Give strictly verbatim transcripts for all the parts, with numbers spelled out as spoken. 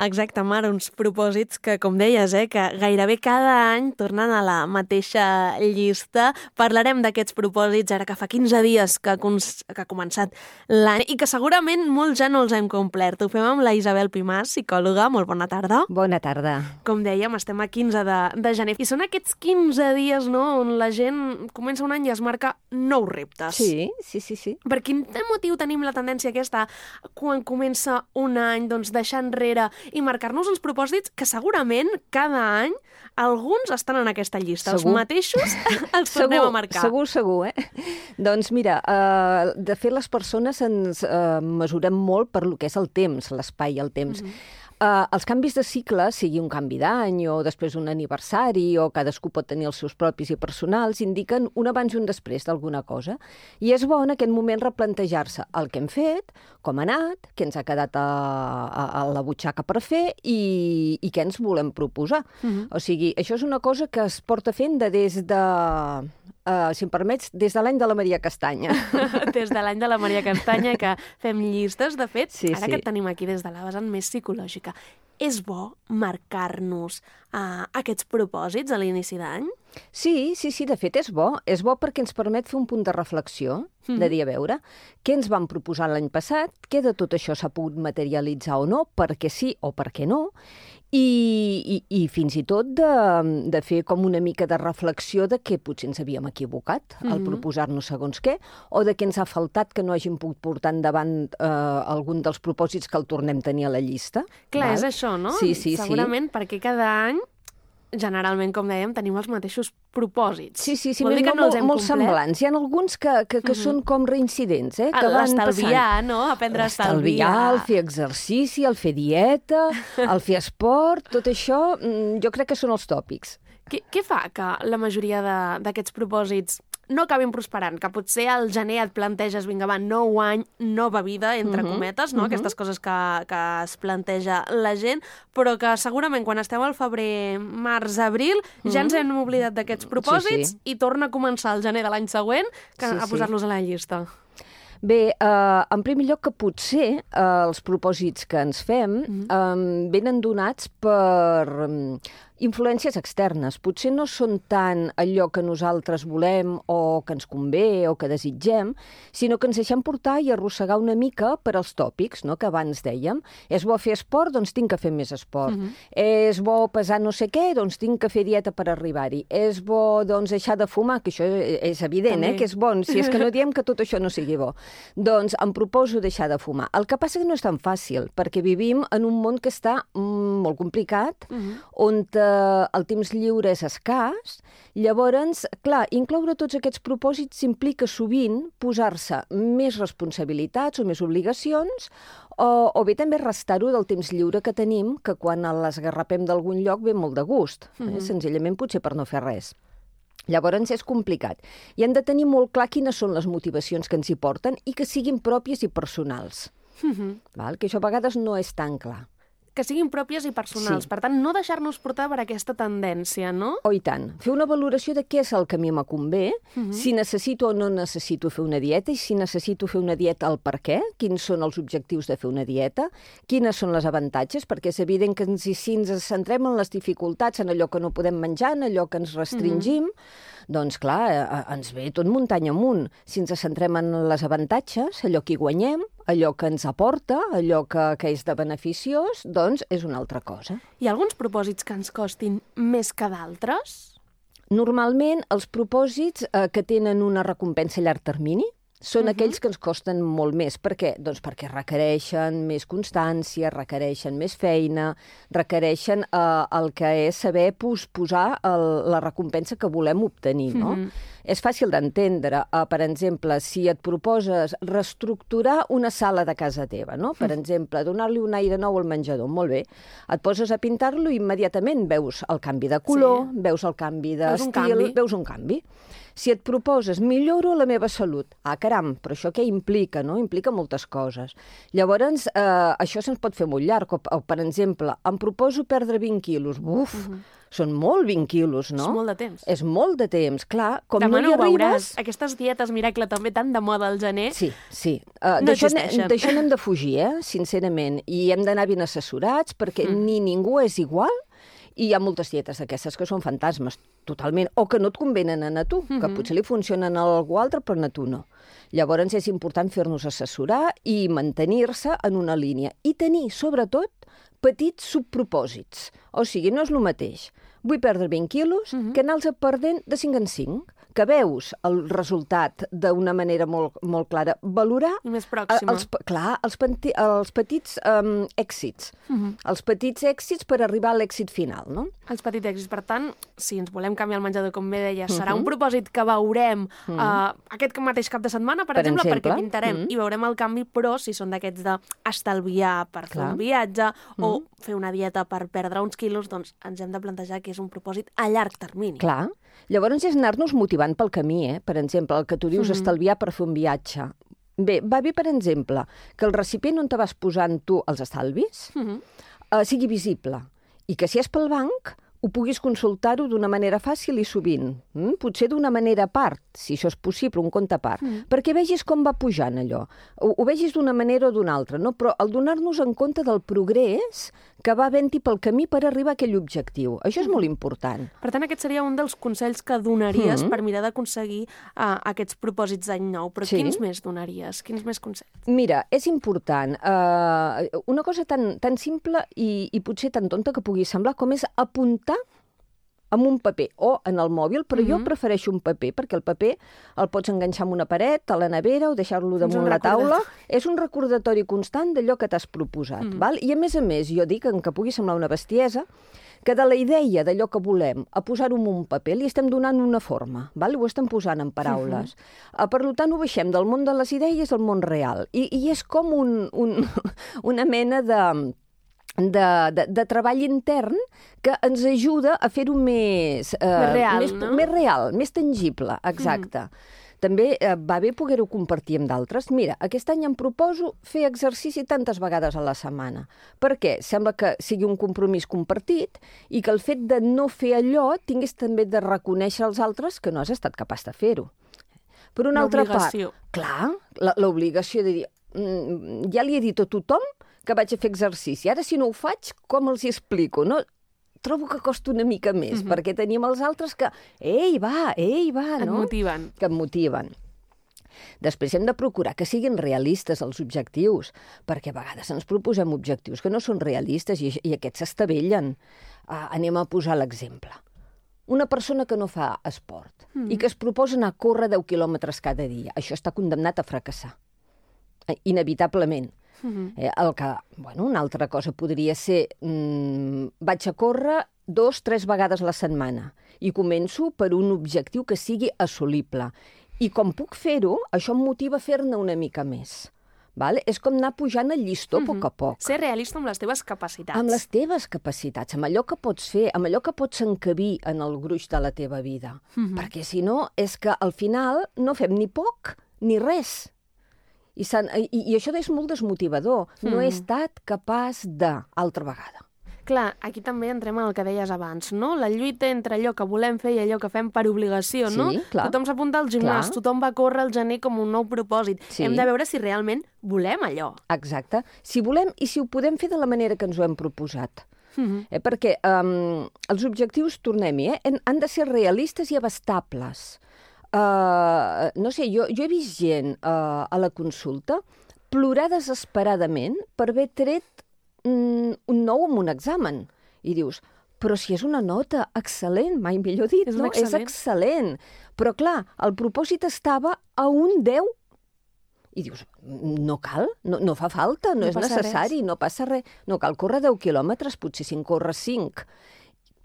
Exacte, Mar, uns propòsits que, com deies, eh, que gairebé cada any tornen a la mateixa llista. Parlarem d'aquests propòsits ara que fa quinze dies que, que ha començat l'any i que segurament molts ja no els hem complert. Ho fem amb la Isabel Pimàs, psicòloga. Molt bona tarda. Bona tarda. Com dèiem, estem a quinze de, de gener i són aquests quinze dies, no?, on la gent comença un any i es marca nous reptes. Sí, sí, sí, sí. Per quin motiu tenim la tendència aquesta quan comença un any, doncs, deixar enrere i marcar-nos uns propòsits que segurament cada any alguns estan en aquesta llista. Segur. Els mateixos els tornem segur, a marcar. Segur, segur, eh? Doncs mira, uh, de fet les persones ens uh, mesurem molt per lo que és el temps, l'espai i el temps. Mm-hmm. Uh, els canvis de cicle, sigui un canvi d'any o després un aniversari o cadascú pot tenir els seus propis i personals, indiquen un abans i un després d'alguna cosa. I és bo en aquest moment replantejar-se el que hem fet, com ha anat, què ens ha quedat a, a, a la butxaca per fer i, i què ens volem proposar. Uh-huh. O sigui, això és una cosa que es porta fent de des de... Uh, si em permets, des de l'any de la Maria Castanya. Des de l'any de la Maria Castanya, que fem llistes. De fet, sí, ara sí. que et tenim aquí des de la vessant més psicològica, és bo marcar-nos uh, aquests propòsits a l'inici d'any? Sí, sí, sí, de fet és bo. És bo perquè ens permet fer un punt de reflexió, mm. de dir, a veure, què ens vam proposar l'any passat, què de tot això s'ha pogut materialitzar o no, per què sí o per què no, i, i, i fins i tot de, de fer com una mica de reflexió de què potser ens havíem equivocat mm-hmm. al proposar-nos segons què, o de què ens ha faltat que no hàgim pogut portar endavant eh, algun dels propòsits que el tornem a tenir a la llista. Clar, val? És això, no? Sí, sí, segurament sí. perquè cada any generalment, com dèiem, tenim els mateixos propòsits. Sí, sí, sí, Vol dir que no, no els hem molt complet? semblants. Hi ha alguns que, que, que mm-hmm. són com reincidents, eh? Que van l'estalviar, passant. no? Aprendre a estalviar. L'estalviar, el fer exercici, el fer dieta, el fer esport, tot això, jo crec que són els tòpics. Què, què fa que la majoria d'aquests propòsits no acabin prosperant? Que potser al gener et planteges, vinga, va, nou any, nova vida, entre uh-huh. cometes, no? Uh-huh. Aquestes coses que, que es planteja la gent, però que segurament quan esteu al febrer, març, abril, uh-huh. ja ens hem oblidat d'aquests propòsits sí, sí. i torna a començar el gener de l'any següent que sí, a posar-los sí. a la llista. Bé, eh, en primer lloc que potser eh, els propòsits que ens fem mm-hmm. eh, venen donats per um, influències externes. Potser no són tant allò que nosaltres volem o que ens convé o que desitgem, sinó que ens deixem portar i arrossegar una mica per als tòpics, no?, que abans dèiem. És bo fer esport? Doncs tinc que fer més esport. Mm-hmm. És bo pesar no sé què? Doncs tinc que fer dieta per arribar-hi. És bo, doncs, deixar de fumar? Que això és evident, També. eh?, que és bo. Si és que no diem que tot això no sigui bo. Doncs em proposo deixar de fumar. El que passa que no és tan fàcil, perquè vivim en un món que està mm, molt complicat, uh-huh. on eh, el temps lliure és escàs. Llavors, clar, incloure tots aquests propòsits implica sovint posar-se més responsabilitats o més obligacions, o, o bé també restar-ho del temps lliure que tenim, que quan l'esgarrapem d'algun lloc ve molt de gust, uh-huh. eh? Senzillament potser per no fer res. Llavors és complicat. I hem de tenir molt clar quines són les motivacions que ens hi porten i que siguin pròpies i personals. Mm-hmm. Val? Que això a vegades no és tan clar. Que siguin pròpies i personals. Sí. Per tant, no deixar-nos portar per aquesta tendència, no? Oh, i tant. Fer una valoració de què és el que a mi me convé, mm-hmm. si necessito o no necessito fer una dieta, i si necessito fer una dieta, el per què, quins són els objectius de fer una dieta, quines són les avantatges, perquè és evident que si ens centrem en les dificultats, en allò que no podem menjar, en allò que ens restringim, mm-hmm. doncs, clar, ens ve tot muntanya amunt. Si ens centrem en les avantatges, allò que hi guanyem, allò que ens aporta, allò que, que és de beneficiós, doncs és una altra cosa. Hi ha alguns propòsits que ens costin més que d'altres? Normalment, els propòsits eh, que tenen una recompensa a llarg termini són uh-huh. aquells que ens costen molt més. Per què? Doncs perquè requereixen més constància, requereixen més feina, requereixen eh, el que és saber posposar el, la recompensa que volem obtenir, no? Uh-huh. És fàcil d'entendre. Uh, per exemple, si et proposes reestructurar una sala de casa teva, no? Per uh-huh. exemple, donar-li un aire nou al menjador, molt bé. Et poses a pintar-lo i immediatament veus el canvi de color, sí. veus el canvi d'estil, veus un canvi. Si et proposes, milloro la meva salut. Ah, caram, però això què implica, no? Implica moltes coses. Llavors, eh, això se'ns pot fer molt llarg. O, o, per exemple, em proposo perdre vint quilos. Buf, uh-huh. Són molt vint quilos, no? És molt de temps. És molt de temps, clar. Com Demà no hi no ho arribes... veuràs. Aquestes dietes miracle també tan de moda al gener. Sí, sí. Uh, no D'això existeixen. n'hem de fugir, eh? Sincerament. I hem d'anar ben assessorats perquè mm. ni ningú és igual i hi ha moltes dietes d'aquestes que són fantasmes, totalment, o que no et convenen a tu, mm-hmm. que potser li funcionen a algú altre, però a tu no. Llavors és important fer-nos assessorar i mantenir-se en una línia. I tenir, sobretot, petits subpropòsits. O sigui, no és el mateix. Vull perdre vint quilos, mm-hmm. que anar-los perdent de cinc en cinc, que veus el resultat d'una manera molt, molt clara. Valorar... I més pròxima. Els, clar, els, penti, els petits um, èxits. Mm-hmm. Els petits èxits per arribar a l'èxit final, no? Els petits èxits. Per tant, si ens volem canviar el menjador, com bé deia, serà mm-hmm. un propòsit que veurem mm-hmm. uh, aquest mateix cap de setmana, per, per exemple, exemple, perquè pintarem mm-hmm. i veurem el canvi, però si són d'aquests d'estalviar per fer clar. Un viatge mm-hmm. o fer una dieta per perdre uns quilos, doncs ens hem de plantejar que és un propòsit a llarg termini. Clar. Llavors és anar-nos motivant pel camí, eh? Per exemple, el que tu dius, mm-hmm. estalviar per fer un viatge. Bé, va bé, per exemple, que el recipient on te vas posant tu els estalvis mm-hmm. uh, sigui visible i que si és pel banc ho puguis consultar-ho d'una manera fàcil i sovint. Mm? Potser d'una manera a part, si això és possible, un compte a part, mm. perquè vegis com va pujant allò. Ho, ho vegis d'una manera o d'una altra, no? Però el donar-nos en compte del progrés que va havent-hi pel camí per arribar a aquell objectiu. Això és mm. molt important. Per tant, aquest seria un dels consells que donaries mm. per mirar d'aconseguir uh, aquests propòsits d'any nou. Però sí. Quins més donaries? Quins més consells? Mira, és important. Uh, una cosa tan, tan simple i, i potser tan tonta que pugui semblar com és apuntar amb un paper o en el mòbil, però mm-hmm. jo prefereixo un paper, perquè el paper el pots enganxar amb una paret, a la nevera o deixar-lo damunt la taula. És un recordatori constant d'allò que t'has proposat. Mm-hmm. Val? I a més a més, jo dic, que pugui semblar una bestiesa, que de la idea d'allò que volem a posar-ho en un paper li estem donant una forma, val? Ho estem posant en paraules. Mm-hmm. Per tant, ho baixem del món de les idees al món real. I, i és com un, un, una mena de... De, de, de treball intern que ens ajuda a fer-ho més, eh, més real, més, no? més real, més tangible, exacte. Mm. També eh, va bé poder-ho compartir amb d'altres. Mira, aquest any em proposo fer exercici tantes vegades a la setmana. Per què? Sembla que sigui un compromís compartit i que el fet de no fer allò tinguis també de reconèixer als altres que no has estat capaç de fer-ho. Per una altra part, clar, l'obligació de dir, mm, ja li he dit a tothom que vaig a fer exercici. Ara, si no ho faig, com els hi explico? No? Trobo que costa una mica més, mm-hmm. perquè tenim els altres que, ei, va, ei, va, no? Et motiven. Que et motiven. Després hem de procurar que siguin realistes els objectius, perquè a vegades ens proposem objectius que no són realistes i, i aquests s'estavellen. Uh, anem a posar l'exemple. Una persona que no fa esport mm. i que es proposa anar a córrer deu quilòmetres cada dia, això està condemnat a fracassar. Inevitablement. Mm-hmm. Eh, el que, bueno, una altra cosa podria ser mmm, vaig a córrer dos, tres vegades a la setmana i començo per un objectiu que sigui assolible. I com puc fer-ho, això em motiva a fer-ne una mica més. Val? És com anar pujant el llistó mm-hmm. a poc a poc. Ser realista amb les teves capacitats. Amb les teves capacitats, amb allò que pots fer, amb allò que pots encabir en el gruix de la teva vida. Mm-hmm. Perquè si no, és que al final no fem ni poc ni res. I, i, i això és molt desmotivador. Mm. No he estat capaç de, altra vegada. Clar, aquí també entrem en el que deies abans, no? La lluita entre allò que volem fer i allò que fem per obligació, sí, no? Clar. Tothom s'apunta al gimnàs, clar. Tothom va córrer al gener com un nou propòsit. Sí. Hem de veure si realment volem allò. Exacte. Si volem i si ho podem fer de la manera que ens ho hem proposat. Mm-hmm. Eh, perquè um, els objectius, tornem-hi, eh, han de ser realistes i abastables. Uh, no sé, jo, jo he vist gent uh, a la consulta plorar desesperadament per haver tret mm, un nou en un examen. I dius, però si és una nota excel·lent, mai millor dit, és no? Excel·lent. És excel·lent. Però clar, el propòsit estava a un deu. I dius, no cal, no, no fa falta, no, no és necessari, res. No passa res. No cal córrer deu quilòmetres, potser si en corres cinc.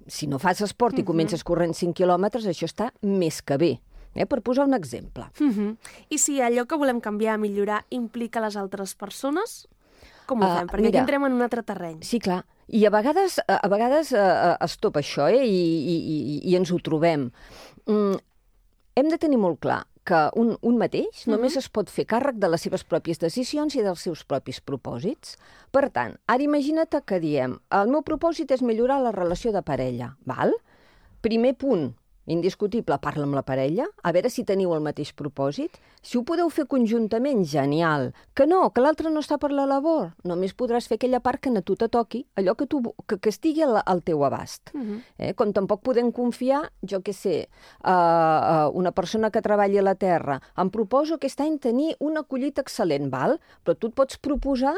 Si no fas esport i uh-huh. comences corrent cinc quilòmetres, això està més que bé. Eh, per posar un exemple. Uh-huh. I si allò que volem canviar, millorar, implica les altres persones, com ho uh, fem? Perquè mira, aquí entrem en un altre terreny. Sí, clar. I a vegades, a vegades uh, es topa això, eh, i, i, i, i ens ho trobem. Mm, hem de tenir molt clar que un, un mateix només es pot fer càrrec de les seves pròpies decisions i dels seus propis propòsits. Per tant, ara imagina't que diem el meu propòsit és millorar la relació de parella, val? Primer punt, indiscutible, parla amb la parella, a veure si teniu el mateix propòsit. Si ho podeu fer conjuntament, genial. Que no, que l'altre no està per la labor, només podràs fer aquella part que a tu te toqui, allò que, tu, que, que estigui al, al teu abast. Uh -huh. eh? Com tampoc podem confiar, jo què sé, uh, uh, una persona que treballi a la terra, em proposo aquest any tenir una collita excel·lent, val? Però tu et pots proposar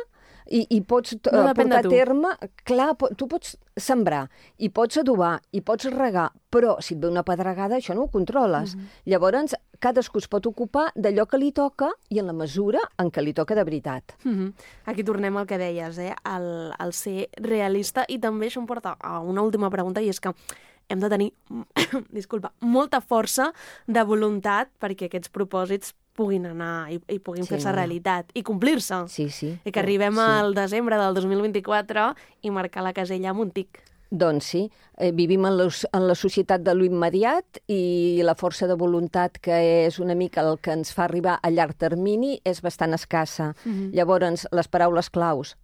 i, i pots uh, no portar a tu. terme, clar, tu pots sembrar, i pots adobar, i pots regar, però si et ve una pedregada, això no ho controles. Uh-huh. Llavors, cadascú es pot ocupar d'allò que li toca i en la mesura en què li toca de veritat. Uh-huh. Aquí tornem al que deies, eh? el, el ser realista, i també això em porta a una última pregunta, i és que hem de tenir disculpa, molta força de voluntat perquè aquests propòsits puguin anar i, i puguin sí. fer-se realitat i complir-se. Sí, sí. I que arribem sí. al desembre del dos mil vint-i-quatre i marcar la casella amb un tic. Doncs sí, eh, vivim en, los, en la societat de l'immediat i la força de voluntat, que és una mica el que ens fa arribar a llarg termini, és bastant escassa. Mm-hmm. Llavors, les paraules claus,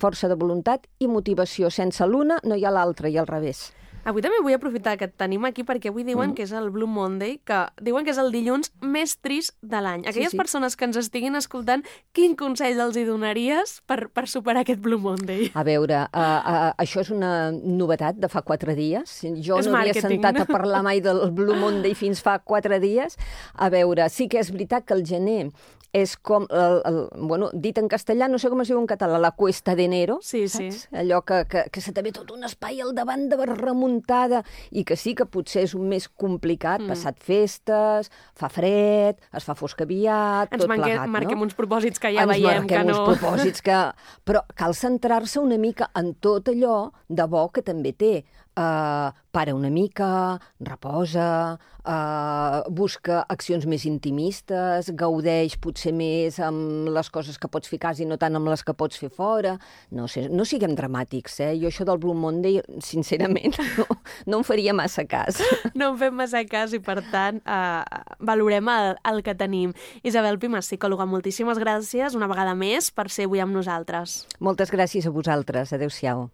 força de voluntat i motivació. Sense l'una no hi ha l'altra, i al revés. Avui també vull aprofitar que et tenim aquí perquè avui diuen mm. que és el Blue Monday, que diuen que és el dilluns més trist de l'any. Aquelles sí, sí. persones que ens estiguin escoltant, quin consell els hi donaries per, per superar aquest Blue Monday? A veure, uh, uh, això és una novetat de fa quatre dies. Jo és no havia marketing. sentat a parlar mai del Blue Monday fins fa quatre dies. A veure, sí que és veritat que el gener és com, el, el, bueno, dit en castellà, no sé com es diu en català, la cuesta d'enero, sí, saps? Sí. Allò que, que, que se te ve tot un espai al davant de remuntada, i que sí que potser és un mes complicat, mm. passat festes, fa fred, es fa fosc aviat, ens tot manque, plegat, no? marquem uns propòsits que ja ens veiem que no... Ens marquem uns propòsits que... Però cal centrar-se una mica en tot allò de bo que també té. Uh, para una mica, reposa, uh, busca accions més intimistes, gaudeix potser més amb les coses que pots fer a casa i no tant amb les que pots fer fora. No sé, no siguem dramàtics, eh? Jo això del Blue Monday, sincerament, no, no em faria massa cas. No en fem massa cas i, per tant, uh, valorem el, el que tenim. Isabel Pimas, psicòloga, moltíssimes gràcies una vegada més per ser avui amb nosaltres. Moltes gràcies a vosaltres. Adéu-siau.